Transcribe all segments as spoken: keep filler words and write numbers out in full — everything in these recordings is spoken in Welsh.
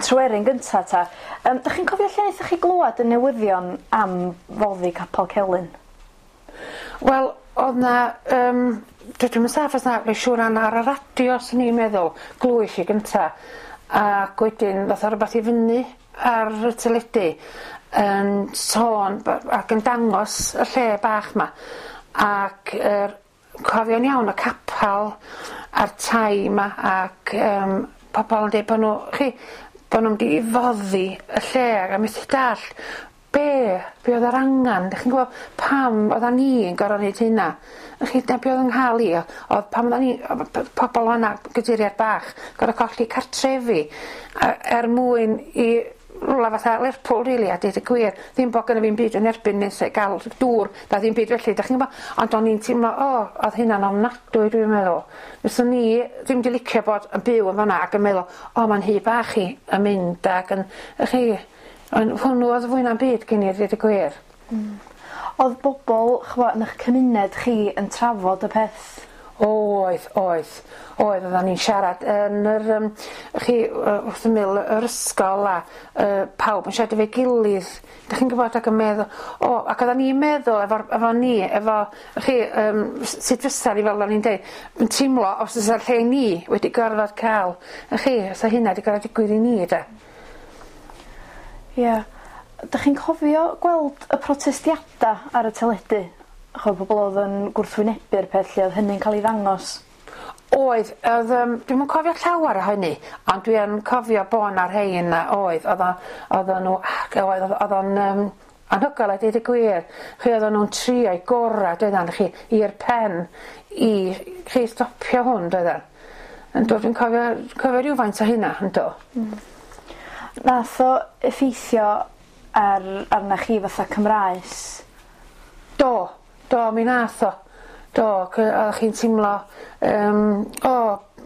Tryweryn gynta ta. Um, dych chi'n cofio lle naethoch chi glwad y newyddion am foddi Capel Celyn? Wel o'dd 'na yym dwi dwi'm yn saff os na rwy'n siŵr an- ar y radio swn i'n meddwl glwysh i gynta ac wedyn ddoth o rwbath i fyny ar y teledu yn sôn b- ac yn dangos y lle bach 'ma ac yr cofio'n iawn y capal a'r tai 'ma ac yym pobol yn deud bo' nw chi bo' nw'n mynd i foddi y lle a methu dallt be' be' o'dd yr angan dych chi'n gwbo pam oddan ni yn gor'o' neud hynna. Y'ch chi 'na be' o'dd yng nghal i o- o'dd pan oddan ni o' p- pobol yna gydurie bach gor'o' colli cartrefi a er mwyn i rwla fatha Lerpwl rili a deud y gwir ddim bo' gynno fi'm byd yn erbyn nes e ga'l dŵr na ddim byd felly dach chi'n gwbo ond o'n i'n teimlo o o'dd hynna'n ofnadwy dwi'n meddwl. Fyswn i ddim 'di licio bod yn byw yn fan 'na ac yn meddwl o ma'n nhŷ bach i yn mynd ag yn y'ch chi ond hwnnw o'dd fwy na'm byd gin i a ddeud y gwir. Hmm. O'dd bobol ch'mo' yn 'ych cymuned chi yn trafod y peth? Oedd oedd oedd oddan ni'n siarad yn yr yym chi yy wrth ymyl yr ysgol a yy pawb yn siarad efo'i gilydd dych chi'n gwbod ac yn meddwl o ac oddan ni'n meddwl efo'r efo ni efo chi yym s- sut fysa ni fel o'n i'n deud yn teimlo os fysa'r lle ni wedi gorfod ca'l y'ch chi os 'sa hynna 'di gor'o' digwydd i ni 'de? Ia. Dych chi'n cofio gweld y protestiada ar y teledu? Ch'mo' pobol o'dd yn gwrthwynebu'r peth lle o'dd hynny'n ca'l 'i ddangos? Oedd o'dd yym dwi'm yn cofio llawar o hynny ond dwi yn cofio bo' 'na rhei yna oedd o'dd o oddan n'w ag oedd o'dd o'n yym anhygoel a deud y gwir. Chi oddan nw'n trio'u gora doeddan chi i'r pen i chi stopio hwn doeddan? Yndw dwi'n cofio cofio rywfaint o hynna yndw. Hmm. Nath o effeithio ar arnach chi fatha Cymraes? Do do mi nath o. Do cy- oddach chi'n timlo yym o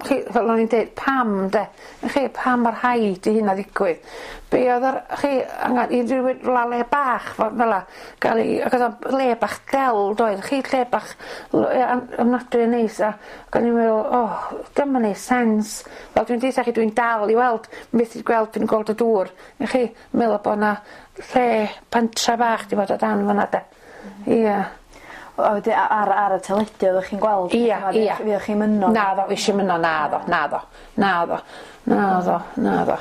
chi fel o'n i'n deud pam 'de? Y'ch chi pam ma' rhaid i hynna ddigwydd? Be' o'dd yr chi angan i rywun rwla le bach fel fela ga'l 'i ag o'dd o'n le bach del doedd? Chi lle bach l- yy an- ofnadwy o neis a ac o'n i'n meddwl o 'di o'm yn neud sense. Fel dwi'n deutha chi dwi'n dal i weld methu gweld dwi'n gweld y dŵr y'ch chi meddwl bo' 'na lle pentra bach 'di bod o dan fan 'na de? Ia. A wedyn a- ar ar y teledu oddech chi'n gweld? Ia ia. Fuoch chi'm yno? Naddo fush i'm yno naddo naddo naddo naddo naddo.